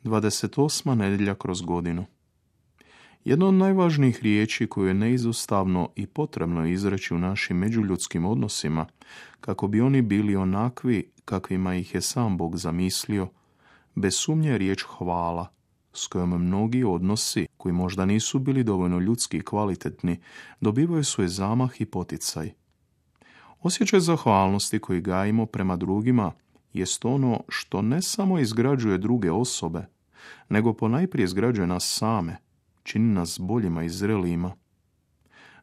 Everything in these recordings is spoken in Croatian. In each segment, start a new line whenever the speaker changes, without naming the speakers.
28. nedjelja kroz godinu. Jedna od najvažnijih riječi koju je neizostavno i potrebno izreći u našim međuljudskim odnosima, kako bi oni bili onakvi kakvima ih je sam Bog zamislio, bez sumnje je riječ hvala, s kojom mnogi odnosi, koji možda nisu bili dovoljno ljudski i kvalitetni, dobivaju svoj zamah i poticaj. Osjećaj zahvalnosti koji gajimo prema drugima jest ono što ne samo izgrađuje druge osobe, nego ponajprije izgrađuje nas same, čini nas boljima i zrelijima.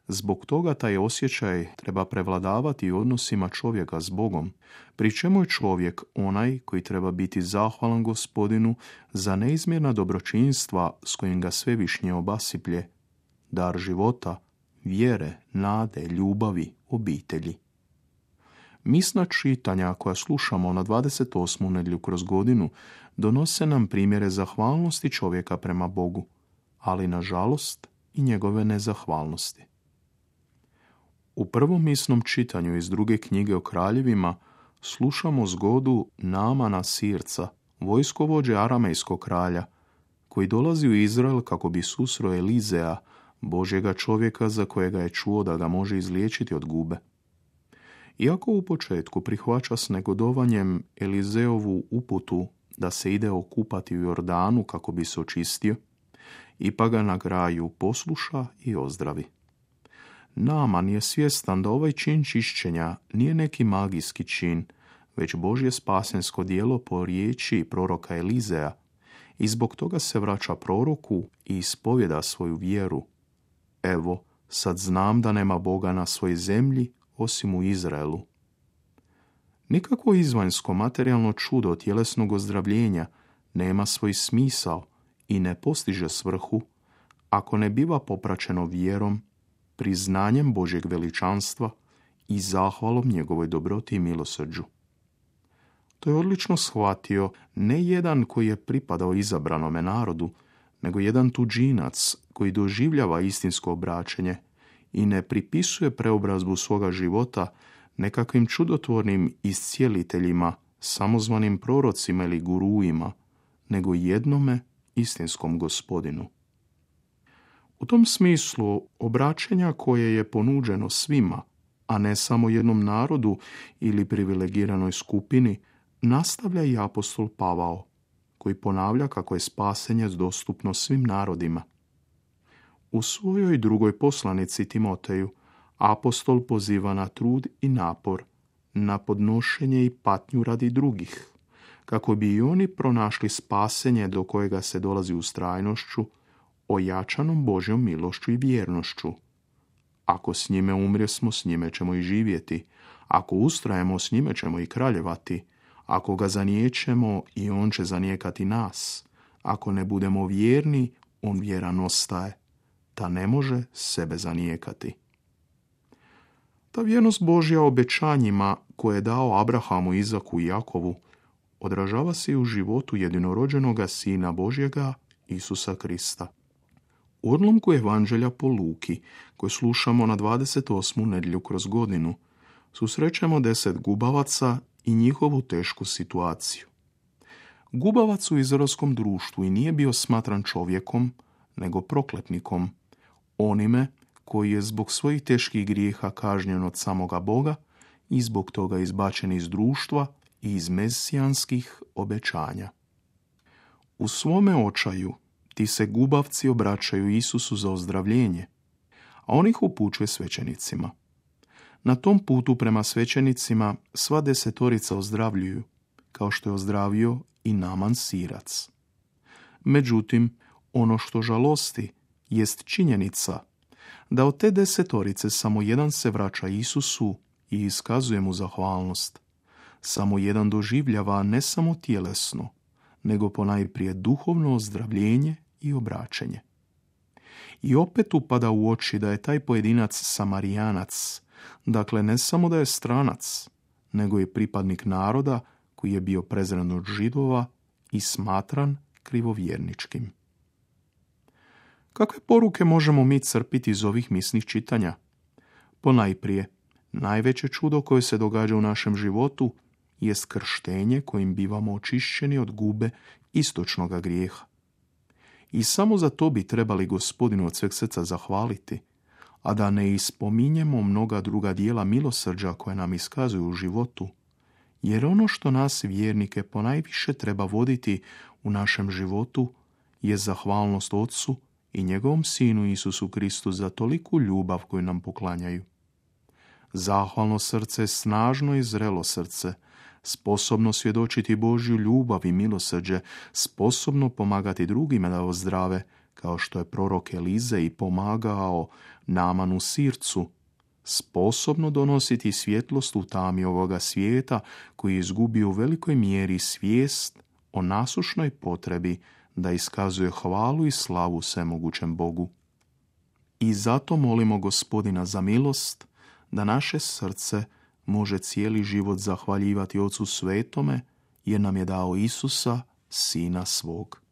Zbog toga taj osjećaj treba prevladavati u odnosima čovjeka s Bogom, pri čemu je čovjek onaj koji treba biti zahvalan Gospodinu za neizmjerna dobročinstva s kojim ga svevišnje obasiplje, dar života, vjere, nade, ljubavi, obitelji. Misna čitanja koja slušamo na 28. nedjelju kroz godinu donose nam primjere zahvalnosti čovjeka prema Bogu, ali nažalost i njegove nezahvalnosti. U prvom misnom čitanju iz druge knjige o kraljevima slušamo zgodu Naamana Sirca, vojskovođe aramejskog kralja, koji dolazi u Izrael kako bi susreo Elizea, Božjega čovjeka za kojega je čuo da ga može izliječiti od gube. Iako u početku prihvaća s negodovanjem Elizeovu uputu da se ide okupati u Jordanu kako bi se očistio, ipak ga na kraju posluša i ozdravi. Naaman je svjestan da ovaj čin čišćenja nije neki magijski čin, već Božje spasensko djelo po riječi proroka Elizea, i zbog toga se vraća proroku i ispovjeda svoju vjeru. Evo, sad znam da nema Boga na svojoj zemlji osim u Izraelu. Nikakvo izvanjsko materijalno čudo tjelesnog ozdravljenja nema svoj smisao i ne postiže svrhu ako ne biva popraćeno vjerom, priznanjem Božjeg veličanstva i zahvalom njegovoj dobroti i milosrđu. To je odlično shvatio ne jedan koji je pripadao izabranome narodu, nego jedan tuđinac koji doživljava istinsko obraćenje i ne pripisuje preobrazbu svoga života nekakvim čudotvornim iscijeliteljima, samozvanim prorocima ili guruima, nego jednome istinskom Gospodinu. U tom smislu obraćenja koje je ponuđeno svima, a ne samo jednom narodu ili privilegiranoj skupini, nastavlja i apostol Pavao, koji ponavlja kako je spasenje dostupno svim narodima. U svojoj drugoj poslanici Timoteju apostol poziva na trud i napor, na podnošenje i patnju radi drugih, kako bi i oni pronašli spasenje do kojega se dolazi ustrajnošću, ojačanom Božjom milošću i vjernošću. Ako s njime umrijesmo, s njime ćemo i živjeti. Ako ustrajemo, s njime ćemo i kraljevati. Ako ga zaniječemo, i on će zanijekati nas. Ako ne budemo vjerni, on vjeran ostaje. Ta ne može sebe zanijekati. Ta vjernost Božja obećanjima koje je dao Abrahamu, Izaku i Jakovu odražava se i u životu jedinorođenoga Sina Božjega, Isusa Krista. U odlomku Evanđelja po Luki, koje slušamo na 28. nedjelju kroz godinu, susrećemo 10 gubavaca i njihovu tešku situaciju. Gubavac u izraelskom društvu i nije bio smatran čovjekom, nego prokletnikom, onime koji je zbog svojih teških grijeha kažnjen od samoga Boga i zbog toga izbačen iz društva i iz mesijanskih obećanja. U svome očaju ti se gubavci obraćaju Isusu za ozdravljenje, a on ih upućuje svećenicima. Na tom putu prema svećenicima sva 10 ozdravljuju, kao što je ozdravio i Naaman Sirac. Međutim, ono što žalosti jest činjenica da od te 10 samo jedan se vraća Isusu i iskazuje mu zahvalnost. Samo jedan doživljava ne samo tjelesno, nego ponajprije duhovno ozdravljenje i obraćenje. I opet upada u oči da je taj pojedinac Samarijanac, dakle ne samo da je stranac, nego je pripadnik naroda koji je bio prezren od Židova i smatran krivovjerničkim. Kakve poruke možemo mi crpiti iz ovih misnih čitanja? Ponajprije, najveće čudo koje se događa u našem životu jest krštenje kojim bivamo očišćeni od gube istočnoga grijeha. I samo za to bi trebali Gospodinu od sveg srca zahvaliti, a da ne ispominjemo mnoga druga dijela milosrđa koje nam iskazuju u životu, jer ono što nas vjernike ponajviše treba voditi u našem životu je zahvalnost Otcu i njegovom Sinu Isusu Kristu za toliku ljubav koju nam poklanjaju. Zahvalno srce je snažno i zrelo srce, sposobno svjedočiti Božju ljubav i milosrđe, sposobno pomagati drugima da ozdrave, kao što je prorok Elize i pomagao Naamanu Sircu, sposobno donositi svjetlost u tami ovoga svijeta koji je izgubio u velikoj mjeri svijest o nasušnoj potrebi da iskazuje hvalu i slavu svemogućem Bogu. I zato molimo Gospodina za milost da naše srce može cijeli život zahvaljivati Ocu Svetome jer nam je dao Isusa, Sina svog.